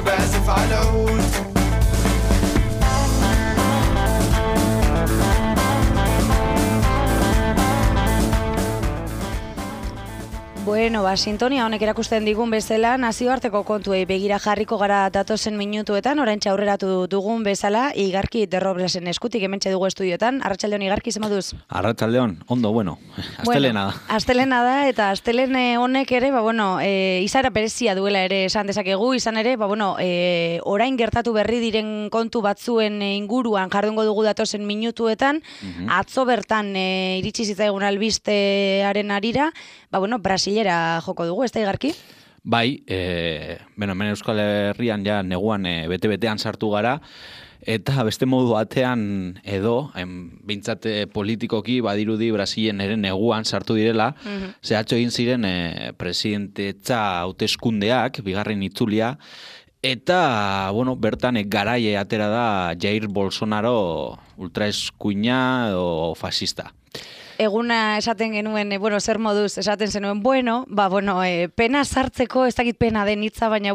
best if I lose. Bueno, sintonia honek erakusten digun bezala, nazioarteko kontuei begira jarriko gara datozen minutuetan, oraintxe aurreratu dugun bezala, Igarki de Roblesen eskutik hementxe dugu estudiotan. Arratsaldeon Igarki, zer moduz? Arratsaldeon, ondo, bueno, astelena da. Astelena da, eta astelen honek ere, izaera berezia duela ere esan dezakegu, izan ere, orain gertatu berri diren kontu batzuen inguruan jardungo dugu datozen minutuetan, atzo bertan iritsi zitzaigun albistearen arira, Brasilera joko dugu, ez da Igarki? Bai, hemen Euskal Herrian ja neguan bete-betean sartu gara, eta beste modu batean edo, behintzat politikoki badirudi Brasilen ere neguan sartu direla, zehatxo egin ziren presidentetza hauteskundeak, bigarren itzulia, eta, bertan garaie atera da Jair Bolsonaro ultraeskuina o fascista. Eguna esaten genuen, zer moduz esaten zenuen, pena sartzeko, ez dakit pena den hitza, baina,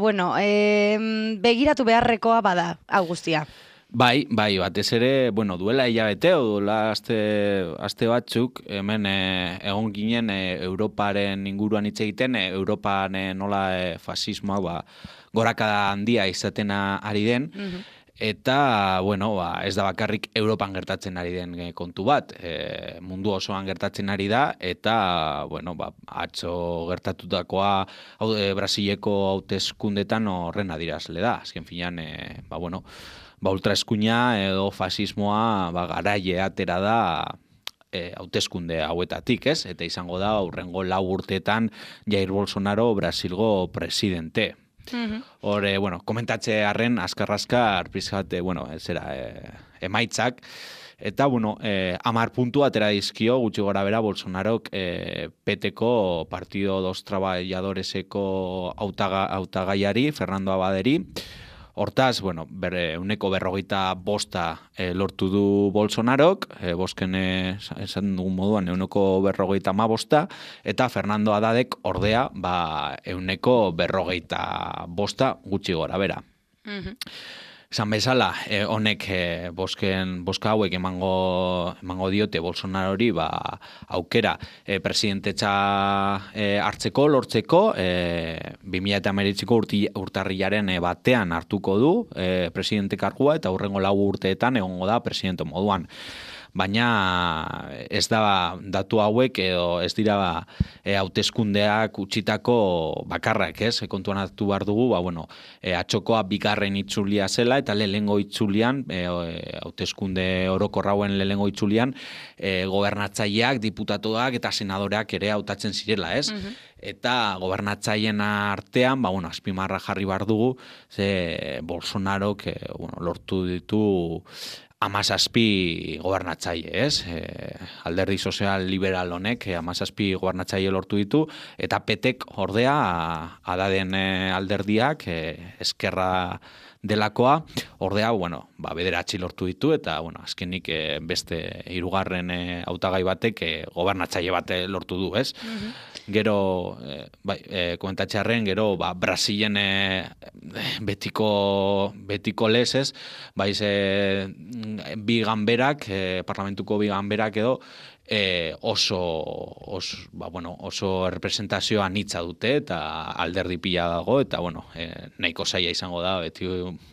begiratu beharrekoa bada, hau guztia. Bai, batez ere, duela hilabete, duela aste batzuk, hemen egon ginen Europaren inguruan hitz egiten, Europan nola fasismoa gorakada handia izaten ari den, eta, ez da bakarrik Europan gertatzen ari den kontu bat, mundu osoan gertatzen ari da, eta, atzo gertatutakoa Brasileko hauteskundetan horren adierazle da. Azken finean, ultraeskuina edo fasismoa garaile atera da hauteskunde hauetatik, ez? Eta izango da, hurrengo 4 urteetan Jair Bolsonaro Brasilgo presidente. Hore, komentatze harren, azkar-azkar, pizkat, emaitzak, eta, 10 puntu atera dizkio, gutxi gora bera, Bolsonarok PT-ko Partido dos Trabajadoreseko hautagaiari, Fernando Abaderi. Hortaz, bere 145 lortu du Bolsonarok, bosken esan dugun moduan 155, eta Fernando Haddadek ordea 145 gutxi gora bera. Esan bezala, honek boska hauek emango diote Bolsonarori aukera presidentetza hartzeko, lortzeko, 2019ko urtarrilaren batean hartuko du presidente kargua eta hurrengo 4 urteetan egongo da presidente moduan. Baina ez da datu hauek edo ez dira hauteskundeak utzitako bakarrak, ez? Kontuan hartu behar dugu, atxokoa bigarren itzulia zela eta lehengo itzulian, hauteskunde orokorrauen lehengo itzulian, gobernatzaileak, diputatuak eta senadoreak ere hautatzen zirela, ez? Eta gobernatzaileen artean, azpimarra jarri behar dugu, ze Bolsonarok lortu ditu 17 gobernatzaile, ez? Alderdi sozial liberal honek 17 gobernatzaile lortu ditu, eta petek ordea Hadaden alderdiak eskerra delakoa, ordea, bederatzi lortu ditu, eta, azkenik beste 3. hautagai batek gobernatzaile bat lortu du, ez? Gero, komentatxearen, gero, Brasilen betiko lez, ez? Bi ganberak, parlamentuko bi ganberak edo, oso representazioa anitza dute eta alderdi pila dago eta nahiko zaila izango da beti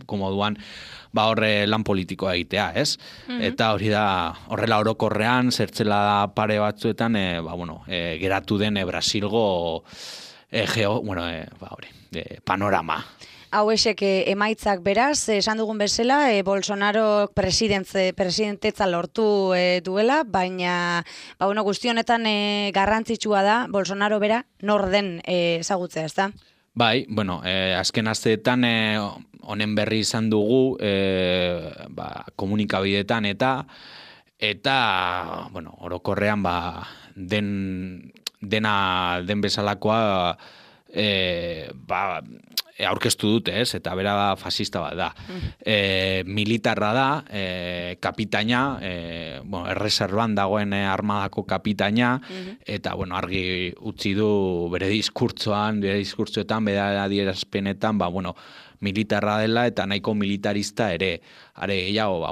komoduan horre lan politikoa egitea, ez? Eta hori da horrela orokorrean zertzela pare batzuetan geratu den Brasilgo panorama. Hau esek emaitzak beraz, esan dugun bezala, Bolsonaro presidentetza lortu duela, baina guzti honetan garrantzitsua da Bolsonaro bera nor den ezagutzea, ez da? Bai, azken asteetan honen berri izan dugu komunikabideetan eta orokorrean den bezalakoa aurkeztu dute, ez? Eta bera fasista bat da. Militarra da, kapitaina, erreserban dagoen armadako kapitaina, eta, argi utzi du bere diskurtsoetan, bere adierazpenetan, militarra dela eta nahiko militarista ere. Are gehiago,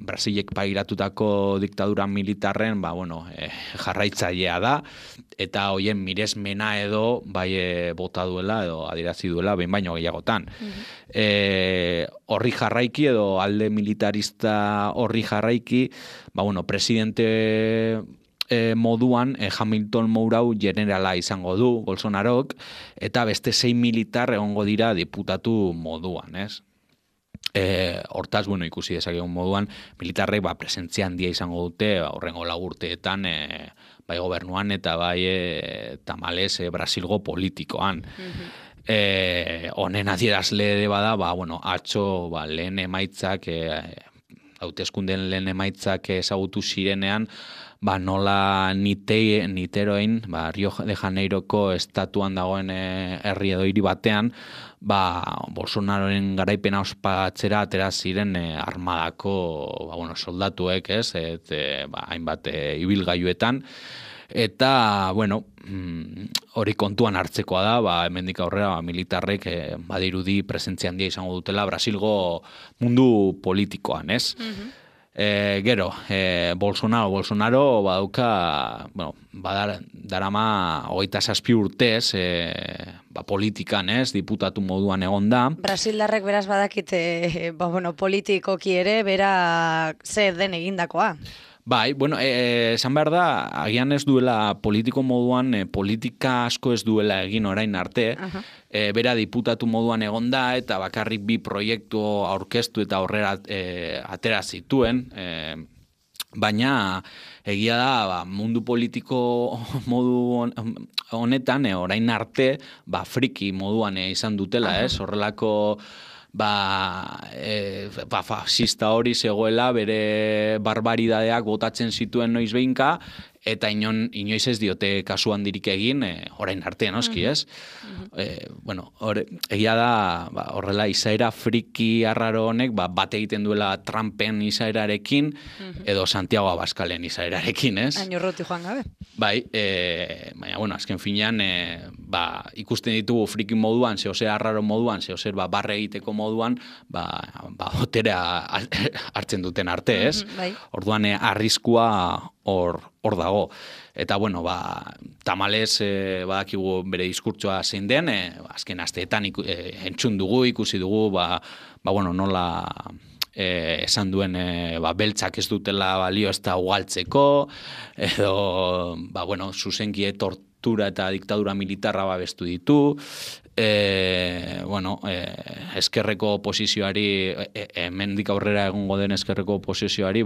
Brasilek pairatutako diktadura militarren, jarraitzailea da, eta hoien miresmena edo bota duela edo adierazi duela behin baino gehiagotan. Horri jarraiki edo alde militarista horri jarraiki, presidente moduan Hamilton Mourau generala izango du Bolsonarok, eta beste 6 militar egongo dira diputatu moduan, ez? Hortaz, ikusi dezakegun moduan, militarrek presentzia handia izango dute, horrengo 4 urteetan, bai gobernuan eta bai tamalez Brasilgo politikoan. Honen adierazle bada, atzo lehen emaitzak, hauteskundeen lehen emaitzak ezagutu zirenean, nola niteroin, Rio de Janeiroko estatuan dagoen herri edo hiri batean, Bolsonaroren garaipena ospatzera atera ziren armadako soldatuek, ez, hainbat ibilgailuetan, eta, hori kontuan hartzekoa da, hemendik aurrera militarrek badirudi presentzia handia izango dutela Brasilgo mundu politikoan, ez? Gero, Bolsonaro badauka, darama 27 urtez politikan, ez, diputatu moduan egonda. Brasildarrek beraz badakite, politikoki ere, bera zer den egindakoa. Bai, esan behar da, agian ez duela politiko moduan, politika asko ez duela egin orain arte, bera diputatu moduan egonda eta bakarrik 2 proiektu aurkeztu eta aurrera atera zituen, baina egia da mundu politiko modu honetan orain arte friki moduan izan dutela, ez? Horrelako fascista hori zegoela bere barbaridadeak botatzen zituen noiz behinka, eta inoiz ez diote kasu handirik egin, orain arte, noski, ez? Egia da, horrela izaera friki arraro honek, bat egiten duela Trumpen izaerarekin, edo Santiago Abascalen izaerarekin, ez? Hain urruti joan gabe. Bai, baina, azken finean, ikusten ditugu friki moduan, zehozer arraro moduan, zehozer barre egiteko moduan, boterea hartzen duten arte, ez? Orduan, arriskua hor dago. Eta, tamalez badakigu bere diskurtsoa zein den, azken asteetan entzun dugu, ikusi dugu, nola esan duen beltzak ez dutela balio ez da ugaltzeko, edo, zuzenkie tortura eta diktadura militarra babestu ditu, eskerreko oposizioari, hemendik aurrera egongo den eskerreko oposizioari,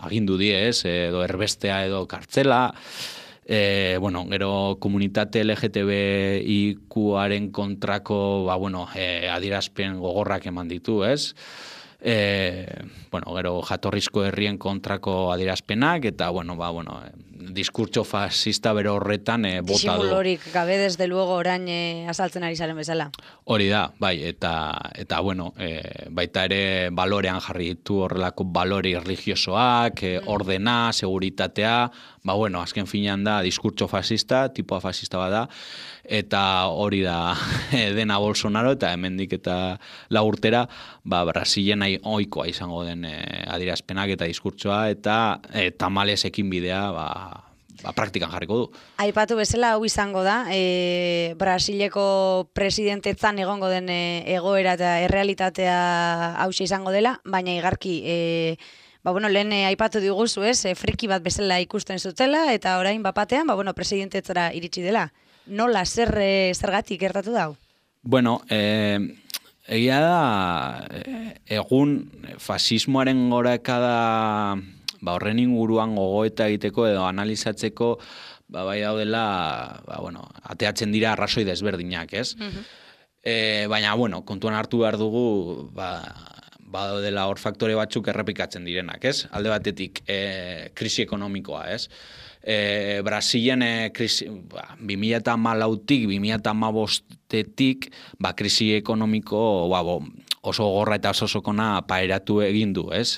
agindu die, ez, edo erbestea edo kartzela, gero komunitate LGTBIQaren kontrako, adierazpen gogorrak eman ditu, ez? Gero jatorrizko herrien kontrako adierazpenak, eta, diskurtso fascista bero horretan bota du. Disimulorik gabe desde luego orain azaltzen ari zaren bezala. Hori da, bai, eta baita ere balorean jarri ditu horrelako balore religiosoak, ordena, seguritatea, azken finean da diskurtso fascista, tipoa fascista bada, eta hori da dena Bolsonaro, eta hemendik eta 4 urtera, Brasilen ohikoa izango den adierazpenak eta diskurtsoa, eta tamalez ekin bidea, praktikan jarriko du. Aipatu bezala hau izango da, Brasileko presidentetzan egongo den egoera eta errealitatea hauxe izango dela, baina igarki, lehen aipatu diguzu, ez, friki bat bezala ikusten zutela, eta orain bapatean, presidentetzara iritsi dela. Nola, zergatik gertatu dau? Egia da, egun fasismoaren gorakada horren inguruan gogoeta egiteko edo analizatzeko bai daudela, ateatzen dira arrazoi desberdinak, ez? Baina, kontuan hartu behar dugu, badaudela hor faktore batzuk errepikatzen direnak, ez? Alde batetik, krisi ekonomikoa, ez? Brasilen 2014tik 2015tik krisi ekonomiko oso gorra eta oso sokona pairatu egin du, ez?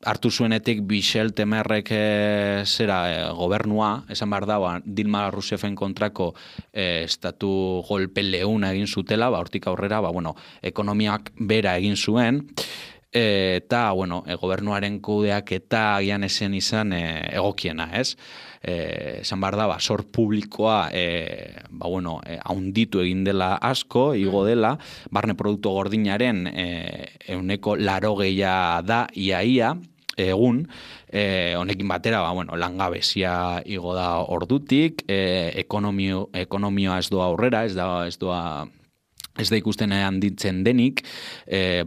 Hartu zuenetik Michel Temerrek gobernua, esan behar da, Dilma Rousseffen kontrako estatu golpe leuna egin zutela, hortik aurrera, ekonomiak bera egin zuen, eta, gobernuaren kudeak eta agian esen izan egokiena, ez? Esan behar da, sor publikoa haunditu egin dela asko, igo dela, barne produktu gordinaren 80% da iaia, egun, honekin batera, langabezia igo da ordutik, ekonomioa ez doa aurrera, ez da ikusten handitzen denik,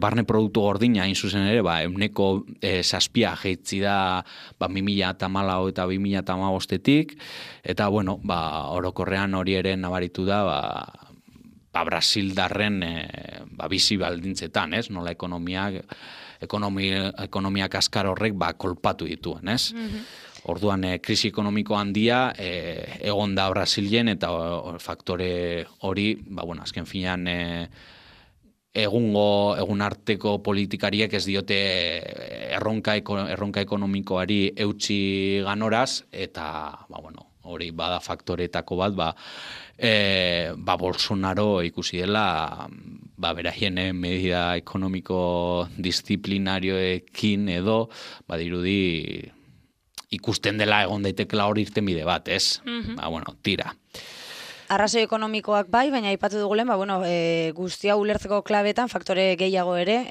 barne produktu gordina hain zuzen ere, 7 jeitzi da 2014 eta 2015-tik, eta, orokorrean hori ere nabaritu da, Brasildarren bizi baldintzetan, ez? Nola ekonomia kaskar horrek kolpatu dituen, ez? Orduan, krisi ekonomiko handia egon da Brasilen eta faktore hori, azken finean egun arteko politikariek ez diote erronka ekonomikoari eutsi ganoraz, eta, hori bada faktoretako bat, Bolsonaro ikusi dela, beraien medida ekonomiko disiplinarioekin edo, dirudi ikusten dela egon daitekela hori irtenbide bat, ez? Tira. Arrazoi ekonomikoak bai, baina aipatu dugulen, guztia ulertzeko klabetan faktore gehiago ere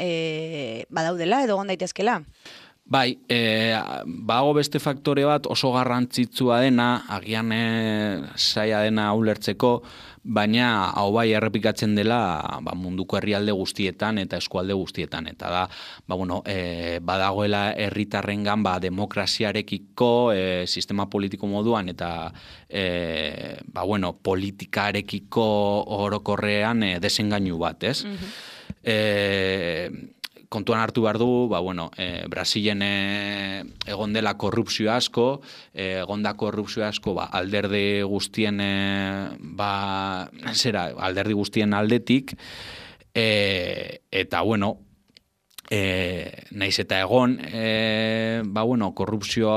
badaudela edo egon daitezkela. Bai, bago beste faktore bat oso garrantzitsua dena, agian zaila dena ulertzeko, baina hau bai errepikatzen dela munduko herrialde guztietan eta eskualde guztietan. Eta da, badagoela herritarrengan demokraziarekiko, sistema politiko moduan eta politikarekiko orokorrean desengainu bat, ez? Kontuan hartu behar du, Brasilen egon dela korrupzio asko, alderdi guztien alderdi guztien aldetik, eta naiz eta egon, korrupzio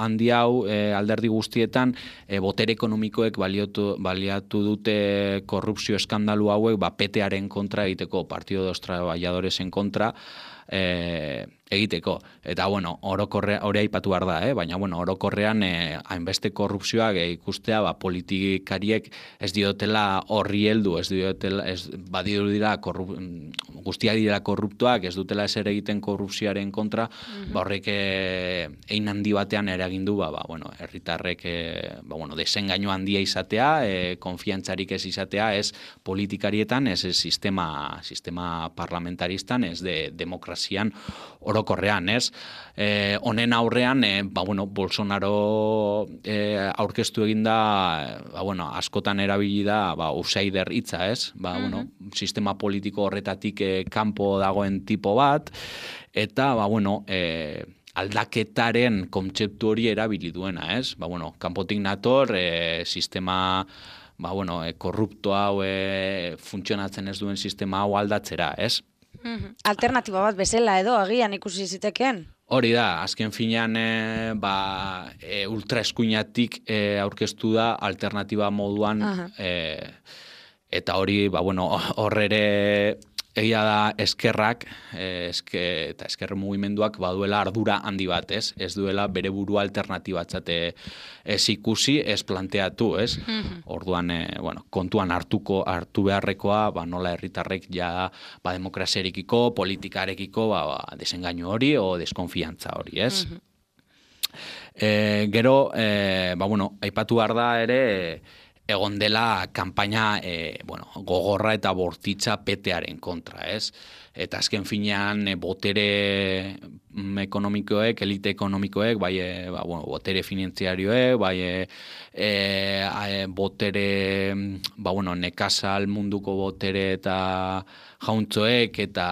handi hau alderdi guztietan, botere ekonomikoek baliatu dute korrupzio eskandalu hauek, PTaren kontra egiteko, Partido de los Trabajadoresen kontra egiteko. Eta, hori aipatu behar da, baina, orokorrean hainbeste korrupzioak ikustea, politikariek ez diotela horri heldu, guztiak dira korruptuak, ez dutela ezer egiten korrupzioaren kontra, horrek ein handi batean eragin du, herritarrek desengainu handia izatea, konfiantzarik ez izatea, ez politikarietan, ez sistema parlamentaristan, ez demokrazian orokorrean, ez? Honen aurrean, Bolsonaro aurkeztu eginda, askotan erabili da, outsider hitza, ez? Sistema politiko horretatik kanpo dagoen tipo bat, eta, aldaketaren kontzeptu hori erabili duena, ez? Kanpotik nator, sistema korrupto hau funtzionatzen ez duen sistema hau aldatzera, ez? Alternatiba bat bezala edo agian ikusi zitekeen? Hori da, azken finean ultraeskuinatik aurkeztu da alternatiba moduan, eta hori, horrere egia da eskerrak, eta esker mugimenduak baduela ardura handi bat, ez? Ez duela bere burua alternatibatzat ez ikusi, ez planteatu, ez? Orduan, kontuan hartu beharrekoa, nola herritarrek ja demokraziarekiko, politikarekiko desengainu hori o deskonfiantza hori, ez? Gero, aipatu behar da ere, egon dela kanpaina gogorra eta bortitza PTaren kontra, ez? Eta azken finean botere ekonomikoek, elite ekonomikoek, bai, botere finanziarioek, bai, botere, nekazal munduko botere eta jauntzoek eta,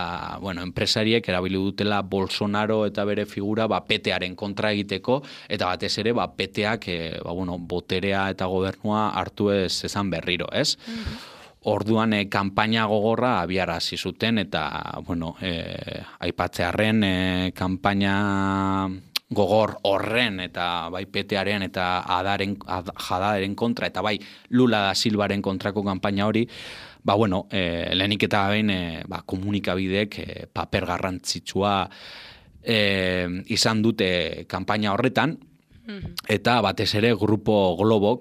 enpresariek erabili dutela Bolsonaro eta bere figura, petearen kontra egiteko, eta batez ere, peteak, boterea eta gobernua hartu ez ezan berriro, ez? Orduan kanpaina gogorra abiarazi zuten eta aipatzearren kanpaina gogor horren eta bai petearen eta jadaren kontra eta bai Lula da Silvaren kontrako kanpaina hori lehenik eta behin komunikabideek paper garrantzitsua izan dute kanpaina horretan. Eta batez ere Grupo Globo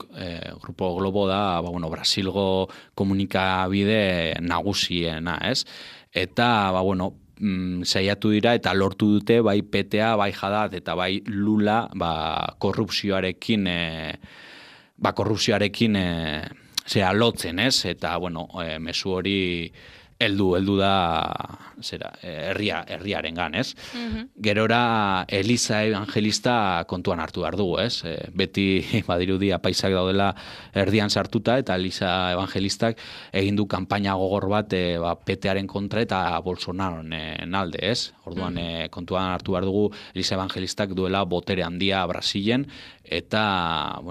da, Brasilgo komunikabide nagusiena, ez? Eta, saiatu dira eta lortu dute bai PTA, bai Haddad eta bai Lula, korrupzioarekin lotzen, ez? Eta, mezu hori heldu da herriarengan, ez? Gerora Eliza Evangelista kontuan hartu behar dugu, ez? Beti badirudi apaisak daudela erdian sartuta eta Eliza Evangelistak egin du kanpaina gogor bat petearen kontra eta Bolsonaroren alde, ez? Orduan kontuan hartu behar dugu Eliza Evangelistak duela botere handia Brasilen eta,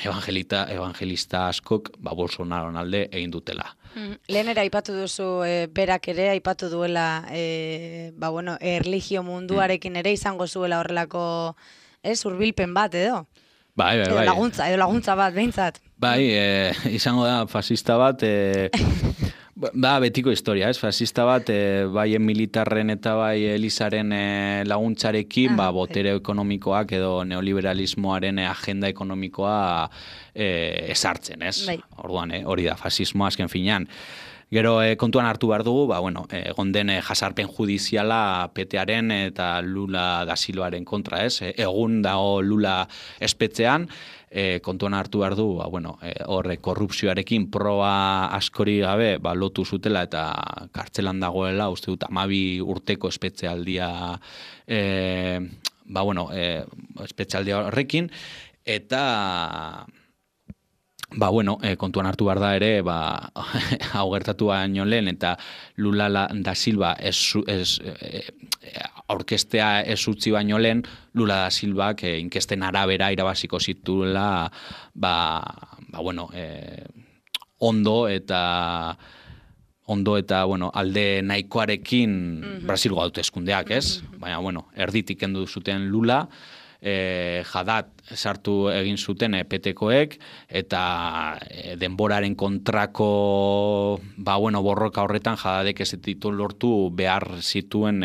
evangelista askok Bolsonaroren alde egin dutela. Lehen ere aipatu duzu, berak ere aipatu duela, erlijio munduarekin ere izango zuela horrelako, hurbilpen bat edo? Bai. Edo laguntza bat, behintzat. Bai, izango da fascista bat, betiko historia, ez? Fascista bat, bai militarren eta bai Elizaren laguntzarekin, botere ekonomikoak edo neoliberalismoaren agenda ekonomikoa esartzen, ez? Bai. Orduan, hori da, fascismoa azken finean. Gero kontuan hartu behar dugu, egon den jasarpen judiziala petearen eta Lula da Silvaren kontra, ez? Egun dago Lula espetzean, kontuan hartu behar du, horre korrupzioarekin proba askori gabe lotu zutela eta kartzelan dagoela, uste dut 12 urteko espetzealdia espetzealdia horrekin, eta kontuan hartu behar da ere, hau gertatu baino lehen, eta Lula da Silva aurkestea ez utzi baino lehen, Lula da Silvak inkesten arabera irabaziko zituela, ondo eta alde nahikoarekin Brasilgo hauteskundeak, ez? Baina, erditik kendu zuten Lula, Haddad sartu egin zuten petekoek eta denboraren kontrako borroka horretan Haddadek ez ditu lortu behar zituen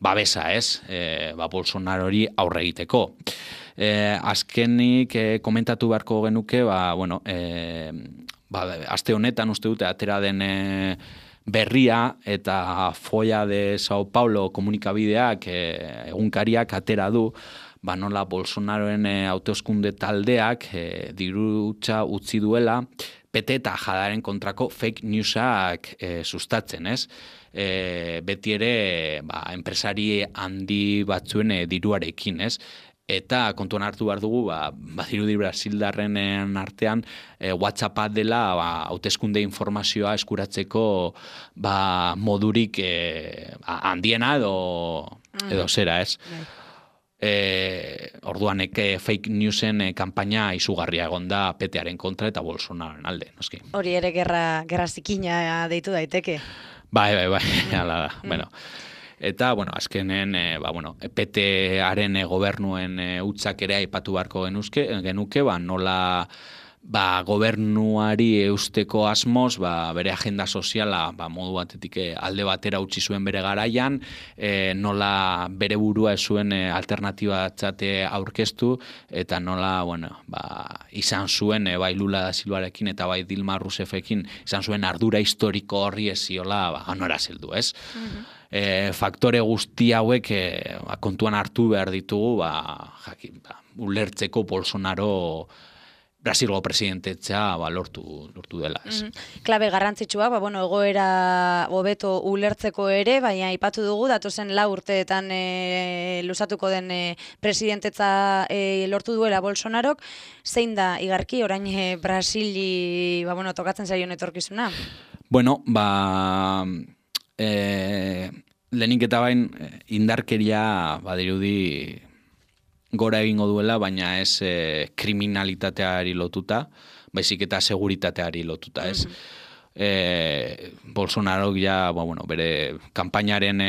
babesa, ez? Bolsonarori aurre egiteko. Azkenik komentatu beharko genuke, aste honetan uste dute atera den berria eta Folla de Sao Paulo komunikabideak egunkariak atera du, nola Bolsonaroen hauteskunde taldeak dirutza utzi duela PT eta Haddadaren kontrako fake newsak sustatzen, ez? Beti ere enpresari handi batzuen diruarekin, ez? Eta kontuan hartu behar dugu, badirudi Brasildarren artean WhatsAppa dela hauteskunde informazioa eskuratzeko modurik handiena edo zera, ez? Orduan fake newsen kanpaina izugarria egon da petearen kontra eta Bolsonaroren alde, noski. Hori ere gerra zikina deitu daiteke. Bai, hala da, Eta, azkenen, PT-aren gobernuen utzak ere aipatu beharko genuke, nola gobernuari eusteko asmoz, bere agenda soziala modu batetik alde batera utzi zuen bere garaian, nola bere burua ez zuen alternatibatzate aurkeztu, eta nola, izan zuen, bai Lula da Silvarekin eta bai Dilma Rousseffekin, izan zuen ardura historiko horri ez ziola, nora zeldu, ez? Faktore guzti hauek kontuan hartu behar ditugu ulertzeko Bolsonaro Brasilgo presidentetza lortu dela, ez. Klabe garrantzitsua, bueno, egoera hobeto ulertzeko ere, baina aipatu dugu datozen 4 urteetan luzatuko den presidentetza lortu duela Bolsonarok, zein da igarki orain Brasili tokatzen zaion etorkizuna? Bueno, lehenik eta bain indarkeria badirudi gora egingo duela, baina ez kriminalitateari lotuta, baizik eta seguritateari lotuta, ez. Bolsonarok bere kanpainaren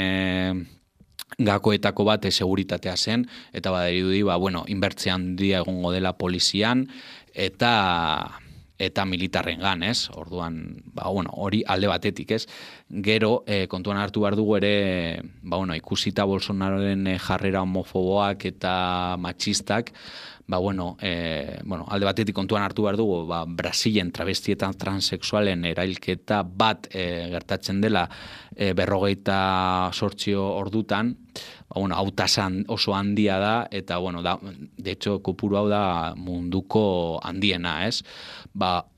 gakoetako bat seguritatea zen, eta badirudi, inbertzia handia egongo dela polizian, eta militarrengan, ez? Orduan, hori alde batetik, ez? Gero, kontuan hartu behar dugu ere, ikusita Bolsonaroren jarrera homofoboak eta matxistak, alde batetik kontuan hartu behar dugu, Brasilen travestietan transexualen erailketa bat gertatzen dela 58 ordutan, hautasan oso handia da, eta, de hecho, kopuru hau da munduko handiena, ez?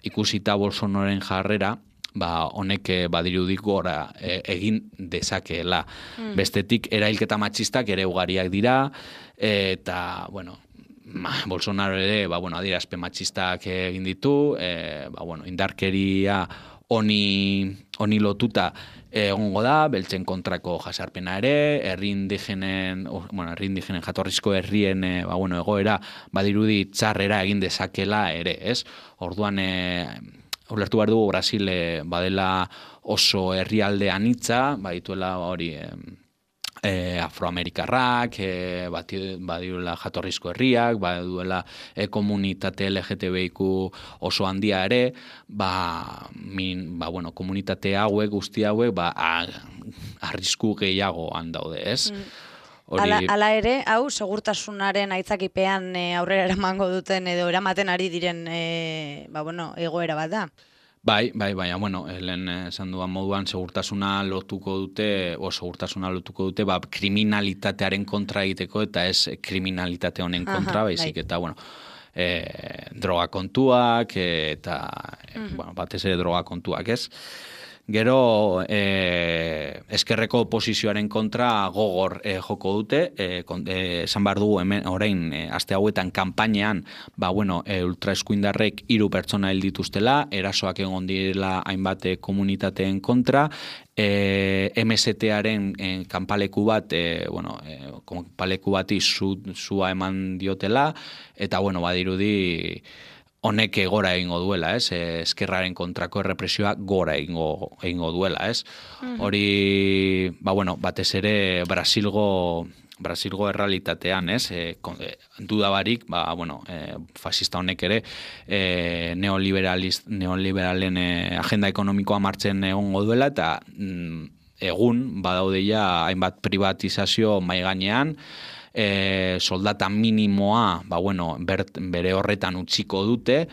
Ikusita Bolsonaroren jarrera, honek badirudik gora egin dezakeela. Bestetik, erailketa matxistak ere ugariak dira, eta, Bolsonaro ere, adierazpen matxistak egin ditu, indarkeria honi lotuta egongo da, beltzen kontrako jasarpena ere, herri indigenen jatorrizko herrien egoera badirudi txarrera egin dezakela ere, ez? Orduan, ulertu behar dugu Brasil badela oso herrialde anitza, badituela hori afroamerikarrak, badiruela jatorrizko herriak, baduela komunitate LGTBIQ oso handia ere, komunitate hauek, guzti hauek, arrisku gehiagoan daude, ez? Hala ere, hau, segurtasunaren aitzakipean aurrera eramango duten edo eramaten ari diren egoera bat da. Bai, lehen esan duan moduan segurtasuna lotuko dute, kriminalitatearen kontra egiteko, eta ez kriminalitate honen kontra, baizik, eta, droga kontuak, eta, batez ere droga kontuak, ez? Gero, eskerreko oposizioaren kontra gogor joko dute, esan behar dugu hemen orain aste hauetan kanpainean, ultraeskuindarrek 3 pertsona hil dituztela, erasoak egon direla hainbat komunitateen kontra, MST-aren kanpaleku bat, kanpaleku bati zua eman diotela, eta, badirudi honek gora egingo duela, ez? Eskerraren kontrako errepresioa gora egingo duela, ez? Hori, batez ere Brasilgo errealitatean, ez? Dudabarik, fascista honek ere neoliberalen agenda ekonomikoa martzen egongo duela, eta egun badaudeia hainbat privatizazio mahai gainean, soldata minimoa bere horretan utziko dute,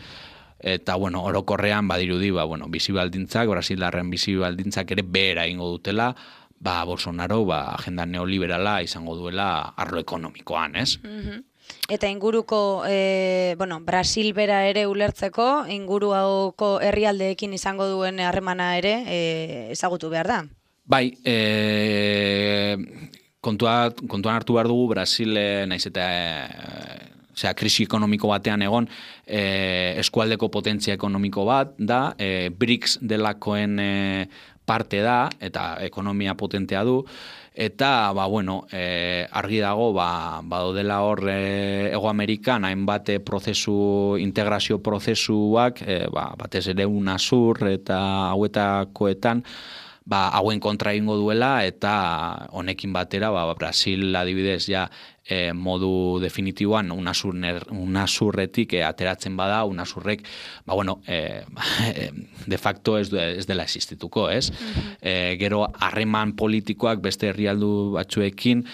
eta orokorrean badirudi bizibaldintzak, Brasildarren bizibaldintzak ere behera egingo dutela, Bolsonaro agenda neoliberala izango duela arlo ekonomikoan, ez? Eta inguruko, Brasil bera ere ulertzeko, inguru hauko herrialdeekin izango duen harremana ere ezagutu behar da? Bai, kontuan hartu behar dugu Brasil naiz eta krisi ekonomiko batean egon, eskualdeko potentzia ekonomiko bat da, BRICS delakoen parte da, eta ekonomia potentea du, eta, argi dago, badodela hor Hego Amerikan, hainbat integrazio prozesuak, batez ere UNASUR eta hauetakoetan, hauen kontra egingo duela, eta honekin batera, Brasil adibidez modu definitiboan UNASURretik ateratzen bada, UNASURrek, de facto ez dela existituko, ez? Gero, harreman politikoak beste herrialdu batzuekin,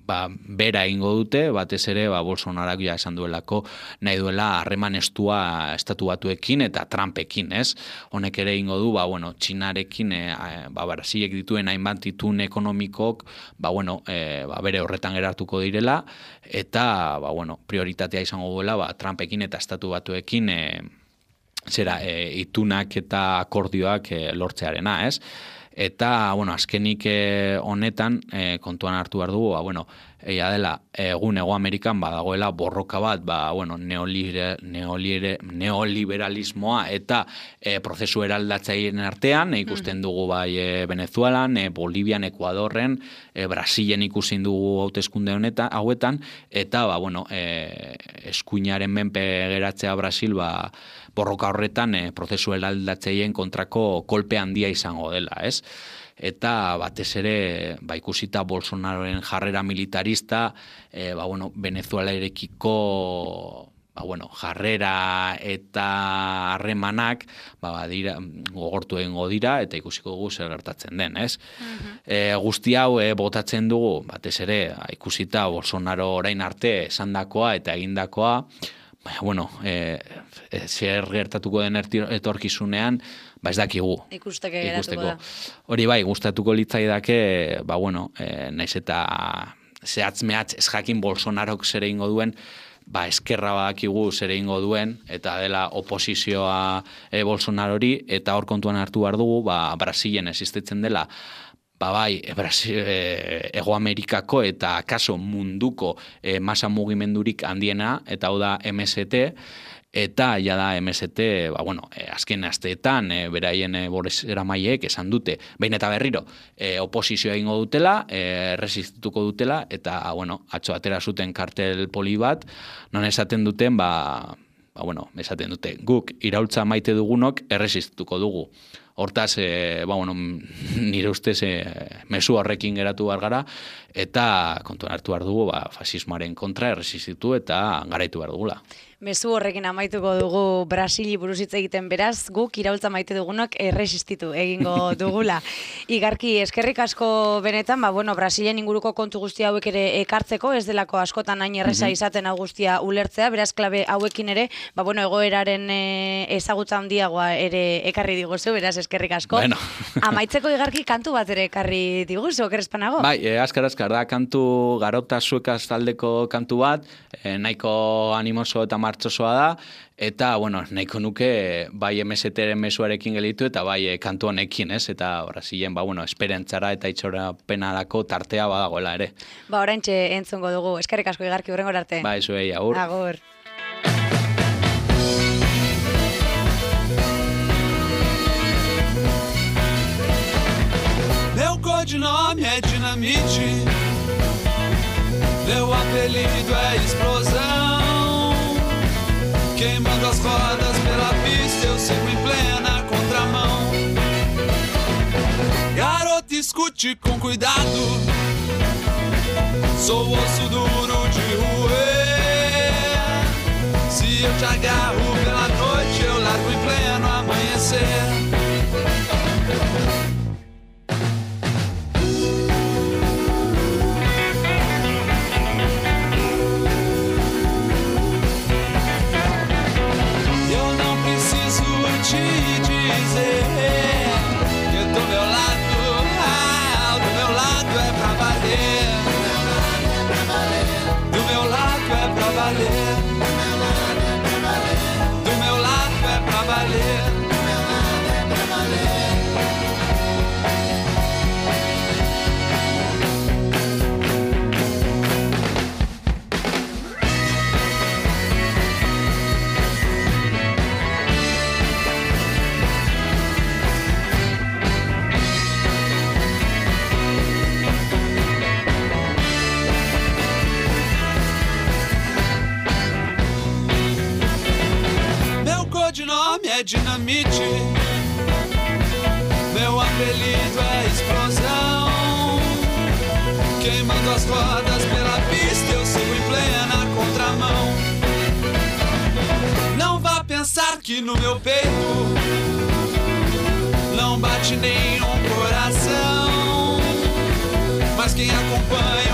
bera egingo dute, batez ere Bolsonaroak ja esan duelako nahi duela harreman estua estatu batuekin eta Trumpekin, ez? Honek ere egingo du, Txinarekin, Brasilek dituen hainbat itun ekonomikok, bere horretan geratuko direla, eta, prioritatea izango duela, Trumpekin eta estatu batuekin itunak eta akordioak lortzearena, ez? Eta, azkenik honetan, kontuan hartu behar dugu, egia dela, egun Hego Amerikan badagoela borroka bat, neoliberalismoa eta prozesu eraldatzaileen artean, ikusten dugu Venezuelan, Bolivian, Ekuadorren, Brasilen ikusten dugu hauteskunde hauetan, eta, eskuinaren menpe geratzea Brasil, borroka horretan prozesu eraldatzaileen kontrako kolpe handia izango dela, ez? Eta batez ere, ikusita Bolsonaroren jarrera militarista, Venezuelarekiko jarrera eta harremanak gogortu egingo dira eta ikusiko dugu zer gertatzen den, ez? Guzti hau botatzen dugu, batez ere, ikusita Bolsonaro orain arte esandakoa eta egindakoa, zer gertatuko den etorkizunean, ez dakigu. Ikusteke geratuko da. Hori gustatuko litzaidake, naiz eta zehatz-mehatz ez jakin Bolsonarok zer egingo duen, eskerra badakigu zer egingo duen, eta dela oposizioa Bolsonarori, eta hor kontuan hartu behar dugu, Brasilen existitzen dela, Hego Amerikako eta kaso munduko masa mugimendurik handiena, eta hau da MST, eta ja da MST, azken asteetan, beraien bozeramaileek esan dute, behin eta berriro, oposizioa egingo dutela, resistituko dutela, eta, atzo atera zuten kartel poli bat, non esaten duten, esaten dute, guk iraultza maite dugunok erresistituko dugu. Hortaz, nire ustez mezu horrekin geratu behar gara, eta kontuan hartu behar dugu, fasismoaren kontra erresistitu eta garaitu behar dugula. Mezu horrekin amaituko dugu Brasili buruz hitz egiten, beraz, guk iraultza maite dugunok erresistitu egingo dugula. Igarki, eskerrik asko benetan, Brasilen inguruko kontu guzti hauek ere ekartzeko, ez delako askotan hain erresa izaten hau guztia ulertzea, beraz, klabe hauekin ere, egoeraren ezagutza handiagoa ere ekarri diguzu, beraz, eskerrik asko. Amaitzeko Igarki kantu bat ere ekarri diguzu, okerrezpanago? Azkar, da kantu garota zuekaz taldeko kantu bat, nahiko animoso eta martxosoa da, eta, nahiko nuke bai MST-ren mezuarekin gelitu eta bai kantu honekin, ez? Eta Brasilen, esperentzara eta itxorapenarako tartea badagoela ere. Oraintxe entzungo dugu. Eskerrik asko Igarki, hurrengor arte. Zuei, agur. Agur. Meu codinome é dinamite, meu apelido é explosão. Queimando as rodas pela pista, eu sigo em plena contramão. Garoto, escute com cuidado, sou osso duro de roer. Se eu te agarro pela noite, eu largo em pleno amanhecer. Te dizer que do meu lado é pra valer. Do meu lado é pra valer. Do meu lado é pra valer. Codinome é dinamite, meu apelido é explosão. Queimando as rodas pela pista, eu sigo em plena contramão. Não vá pensar que no meu peito não bate nenhum coração, mas quem acompanha